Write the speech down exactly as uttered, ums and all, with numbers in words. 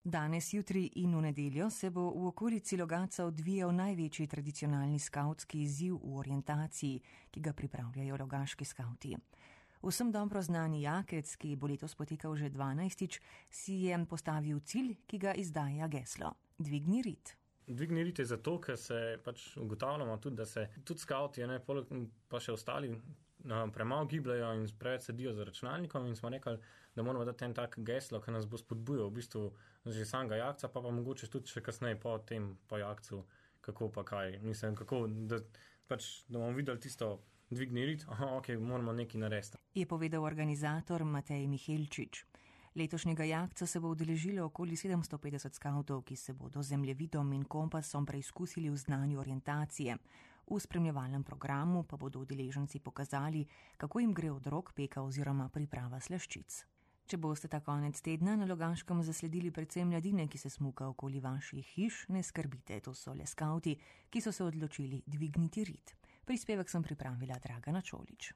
Danes, jutri in v nedeljo se bo v okolici Logatca odvijal največji tradicionalni skavtski izziv v orientaciji, ki ga pripravljajo logaški skavti. Vsem dobro znani Jakec, ki bo letos potekal že dvanajstič, si je postavil cilj, ki ga izdaja geslo: dvigni rit. Dvigni rit je zato, ker se pač ugotavljamo tudi, da se tudi skavti, ne, pa še ostali no, premalo gibljajo in preveč sedijo za računalnikom in smo rekli, da moramo dati en tak geslo, ki nas bo spodbujal v bistvu že samega Jakca, pa pa mogoče tudi še kasneje po tem, po Jakcu, kako pa kaj. Mislim, kako, da pač, da bomo videli tisto dvigni rit, aha, ok, moramo nekaj narediti. Je povedal organizator Matej Mihelčič. Letošnjega Jakca se bo udeležilo okoli sedemsto petdeset skavtov, ki se bodo zemljevidom in kompasom preizkusili v znanju orientacije. V spremljevalnem programu pa bodo udeleženci pokazali, kako jim gre od rok peka oziroma priprava slaščic. Če boste ta konec tedna na Logaškem zasledili predvsem mladine, ki se smuka okoli vaših hiš, ne skrbite, to so le skavti, ki so se odločili dvigniti rit. Prispevek sem pripravila Dragana Čolič.